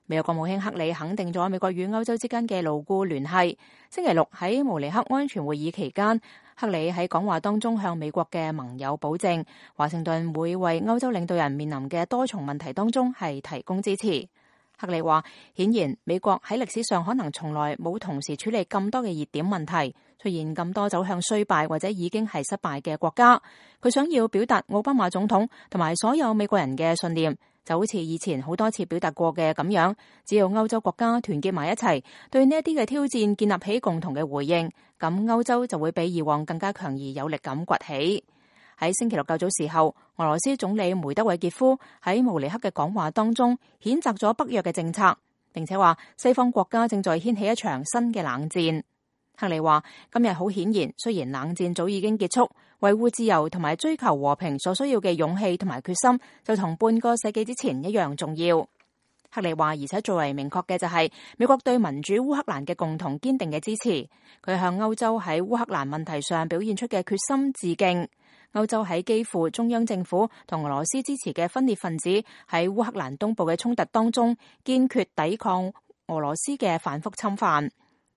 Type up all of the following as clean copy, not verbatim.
美國國務卿克里肯定咗美國與歐洲之間嘅牢固聯繫。星期六喺慕尼黑安全會議期間，克里喺講話當中向美國嘅盟友保證，華盛頓會為歐洲領導人面臨嘅多重問題當中係提供支持。克里話，顯然美國喺歷史上可能從來冇同時處理咁多嘅熱點問題，出現咁多走向衰敗或者已經係失敗嘅國家。佢想要表達奧巴馬總統同埋所有美國人嘅信念，就好似以前好多次表達過嘅咁樣，只要歐洲國家團結埋一齊，對呢一啲嘅挑戰建立起共同嘅回應，咁歐洲就會比以往更加強而有力咁崛起。喺星期六較早時候，俄羅斯總理梅德韋傑夫喺慕尼黑嘅講話當中譴責咗北約嘅政策，並且話西方國家正在掀起一場新嘅冷戰。克里話，今日好顯然，雖然冷戰早已經結束，維護自由同埋追求和平所需要嘅勇氣同埋決心就同半個世紀之前一樣重要。克里話，而且最為明確嘅就係美國對民主烏克蘭嘅共同堅定嘅支持，佢向歐洲喺烏克蘭問題上表現出嘅決心致敬。歐洲喺基輔中央政府同俄羅斯支持嘅分裂分子喺烏克蘭東部嘅衝突當中，堅決抵抗俄羅斯嘅反覆侵犯。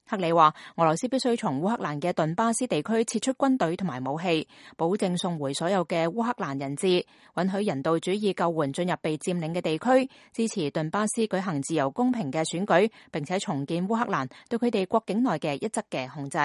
克里話，俄羅斯必須從烏克蘭嘅頓巴斯地區撤出軍隊同埋武器，保證送回所有嘅烏克蘭人質，允許人道主義救援進入被佔領嘅地區，支持頓巴斯舉行自由公平嘅選舉，並且重建烏克蘭對佢哋國境內嘅一側嘅控制。